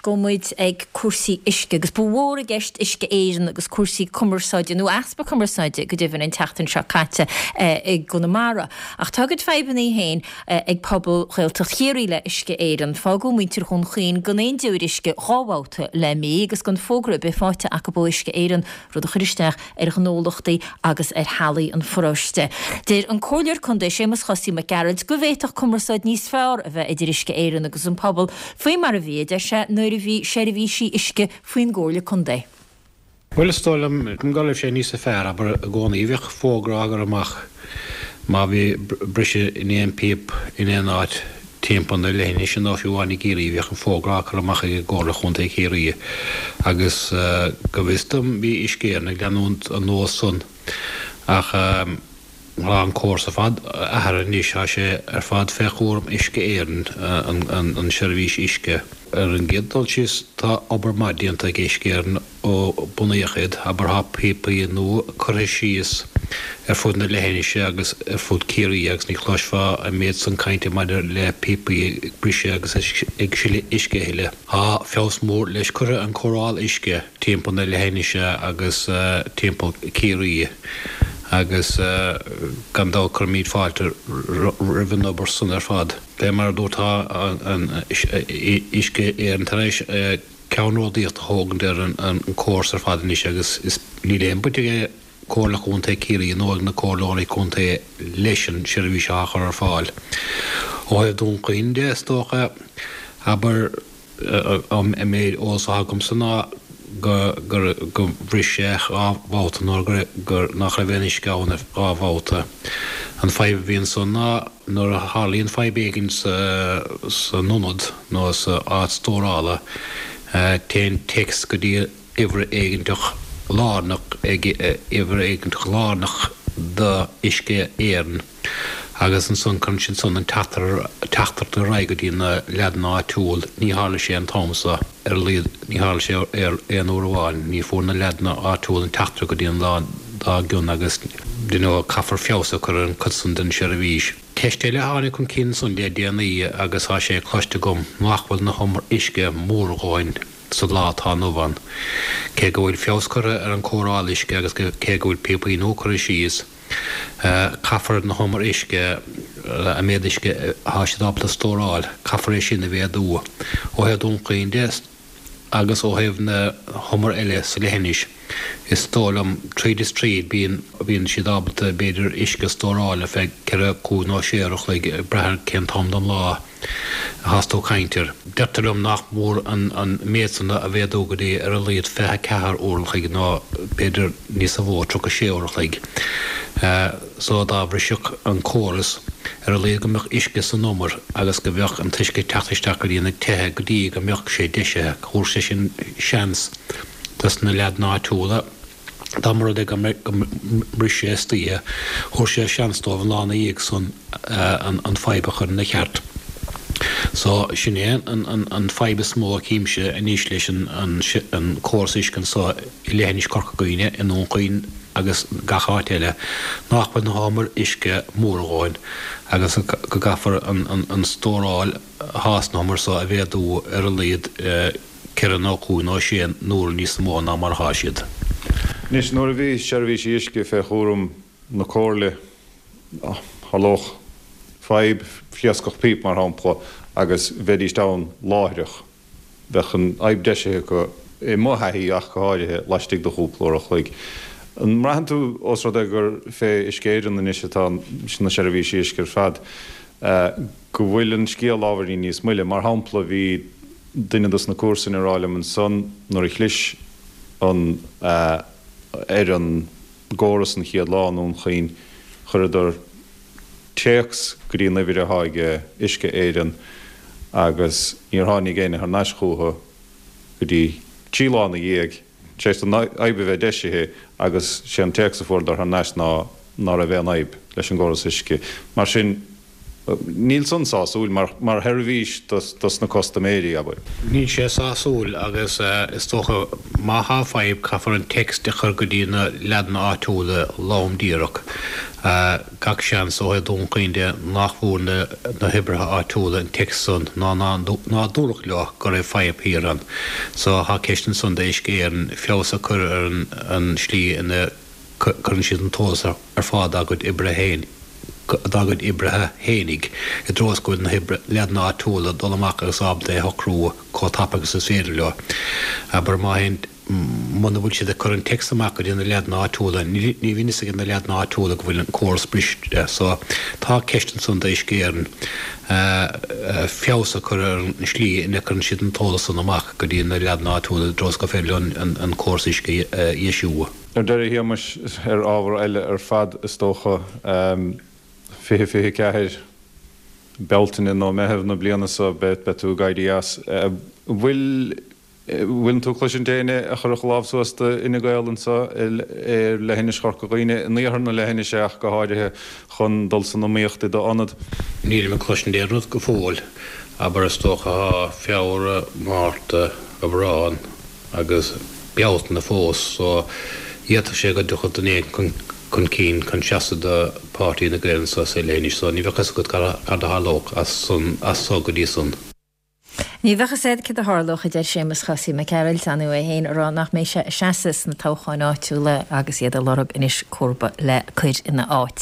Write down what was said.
gabhfaidh muid ag cúrsaí uisce agus ba mhór i gceist Uisce Éireann agus cúrsaí cumarsáide, nó easpa cumarsáide go deimhin, an tseachtain seo caite i gConamara. Ach tá a gcuid fadhbanna féin ag pobal Ghaeltacht Chiarraí le Uisce Éireann. Fágadh muintir Dhún Chaoin gan aon deoir uisce 2 bhabhta le mí agus gan fógra ar bith faighte acu ó Uisce Éireann, rud a chuir isteach ar ghnólachtaí agus ar theaghlaigh an pharóiste. Deir an Comhairleoir Contae Séamus Chosaí Mac Gearailt go bhféadfadh cumarsáid níos fearr a bheith idir Uisce Éireann agus an pobal, faoi mar a bhí, a deir sé, nuair a bhí seirbhísí uisce faoin gComhairle Contae. Bhuel, is dóigh liom go raibh sé níosa fearr, abair, i gcónaí. Bheadh fógra á gcur amach má bhí briseadh in aon phíopa in aon áit timpeall na leithinise nó fiú amháin i gCiarraí, bhíodh an fógra á cur amach ag Comhairle Chontae Chiarraí agus go bhfios dom bhí Uisce Éireann ag leanúint an nós san ach tá an córas ar fad athraithe anois, tá sé ar fad fé chúram Uisce Éireann, an seirbhís uisce. Ar an gcéad dul síos tá obair maith déanta ag Uisce Éireann Ó bunaíodh iad, abair tá píopaí nua curtha síos ar fud na leithinise agus ar fud Ciarraí agus ní chloisfeá an méid san cainte maidir le píopaí ag briseadh agus ag sileadh uisce a thuilleadh. Tá feabhas mór leis curtha ar an cóireáil uisce timpeall na leithinise agus timpeall Ciarraí agus gan dabht cuirimid fáilte roimh an obair san ar fad. Fé mar a dúrt tá an Uisce Éireann tar éis ceannródaíocht a thógaint ar an córas ar fad anois agus is níl aon baint ag Comhairle Chontae Chiarraí nó ag na Comhairleoirí Contae leis an seirbhís atá á chur ar fáil. Ó thaobh Dún Chaoin de, is dócha, abair, an méid eolas atá agamsa ná go gur bhris sé 2 bhabhta nó gur nach raibh aon uisce ann ar 2 bhabhta. An fadhb a bhí ansan ná Nuair a tharlaíonn fadhb éigin san ionad nó sa áit stórála, téann téacs go dtí uimhir éiginteach lárnach ag uimhir éiginteach lárnach do Uisce Éireann agus ansan cuireann siad san an teachtaireacht ar aghaidh go dtí na leaideanna áitiúil. Ní tharla sé an t-am so, ar a laghad ní tharla sé aon uair amháin. Ní fuair na leaideanna áitiúil an teachtaireacht go dtí an lá dár gcionn agus you know caithfear feabhas a chur ar an chuid san den seirbhís. Ceist eile a tháinig chun cinn ansan le déanaí agus tá sé cloiste agam nach bhfuil na humair uisce mór a dhóthain sa lá atá inniu ann. Cé go bhfuil feabhas curtha ar an cóireáil uisce agus cé go bhfuil píopaí nua curtha síos, caithfear na humair uisce, an méid uisce atá siad ábalta stóráil, caithfear é sin a mhéadú. Ó thaobh Dún Chaoin de, Agus ó thaobh na humar eile sa leithinis, is dóigh liom, tríd is tríd, bíonn, bíonn siad ábalta, b'fhéidir, uisce a stóráil ar feadh ceithre, cúig nó sé uair a chloig, ag brath ar cén t-am den lá athás tú ag caint air. Deirtear liom nach mór an, an méid san a mhéadú go dtí ar a laghad 24 uair an chloig nó b'fhéidir níosa mhó, 36 uair an chloig. So dá bhrisfeadh an córas, ar a laghad go mbeadh uisce san umar agus go mbeadh an t-uisce ag teacht isteach go dtí na tithe go dtí go mbeadh sé deisithe. Thabharfadh sé sin seans dos na leaideanna áitiúla, dá mba rud é go mbris sé istoíche, thabharfadh sé seans dóibh an lá ina dhiaidh san an fadhb a chur ina cheart. So, sin é an fadhb is mó a chímse anois leis an córas uisce anso i leithinis Chorca Dhuibhne, i nDún Chaoin agus gach áit eile, nach bhfuil na humair uisce mór a dhóthain agus go gcaithfear an stóráil athá sna humair so a mhéadú ar a laghad ceithre nó cúig nó sé n-uaire níos mó ná mar athá siad. Anois, nuair a bhí seirbhísí uisce fé chúram na Comhairle, tharlódh fadhb, phléascfadh píopa mar shampla, agus bheidíst ann láithreach. Bheadh an fhadhb deisithe acu, i mo thaithí ach go háirithe, laistigh de chúpla uair a chloig. An mbraitheann tú, ós rud é gur fé Uisce Éireann anois atá na seirbhísí uisce ar fad, go bhfuil an scéal ábhairín níos moille? Mar shampla, bhí duine dos na comharsain ag rá liom ansan nuair a chlis an ar an gcóras an chéad lá i nDún Chaoin, chuireadar téacs go dtí an uimhir athá ag Uisce Éireann agus níor tháinig éinne thar n-ais chúthu go dtí trí lá ina dhiaidh, tar éis don fhadhb a bheith deisithe agus sé an téacs a fuaireadar thar n-ais ná ná raibh aon fhadhb leis an gcóras uisce. Mar sin, níl san sásúil mar mar sheirbhís dos na custaiméirí, abair. Níl sé sásúil agus is dócha má thá fadhb caithfear an text a chur go dtí na leaideanna áitiúla lom díreach. Gach seans, ó thaobh Dún Chaoin de, nach bhfuair na hoibrithe áitiúla an téacs san ná ná dúradh leo go raibh fadhb thiar ann. So tá ceist ansan d'Uisce Éireann feabhas a chur ar an slí ina gcuireann siad an t-eolas ar fáil dá gcuid oibrithe féin dá gcuid oibrithe fhéinig i dtreo is go bhfuil na leaideanna áitiúla ag dul amach agus ábalta é a shocrú chomh tapa agus is féidir leo. Abair má théann Muna bhfuil siad ag cur an téacs amach go dtí na leaideanna áitiúla, ní bhíonn fhios ag na leaideanna áitiúla go bhfuil an córas briste. So, tá ceist ansan d'Uisce Éireann feabhas a chur ar an slí ina gcuireann siad an t-eolas san amach go dtí na leaideanna áitiúla i dtreo is gur féidir leo an córas uisce a dheisiú. Ar deireadh, a Shéamais, ar ábhar eile ar fad is dócha, 2024, Bealtaine nó Meitheamh na bliana seo, beidh tú ag éirí as. An bhfuil Bhfuileann tú ag cloisint éinne a chuirfeadh lámh suas do Fhine Gael anseo ar leithinis Chorca Dhuibhne, in iarthar na leithinise ach go háirithe, chun dul san iomaíocht i d'ionad? Nílim ag cloisint aon rud go fóill. Abair, is dócha tá Feabhra, Márta, Aibreán agus Bealtaine fós so d'fhéadfadh sé go dtiocfadh duine éigin chun cinn chun seasamh do Páirtí Fhine Gael anseo sa leithinis so ní bheadh fhios agat cad a tharlódh as so go dtí san. Ní bheadh fhios a'd céard a tharlódh, a deir Séamus Chosaí Mac Gearailt, ar ndóigh é féin a rá nach mbeidh sé ag seasamh sna toghcháin áitiúla agus iad ag lorg anois comharba le cur ina áit.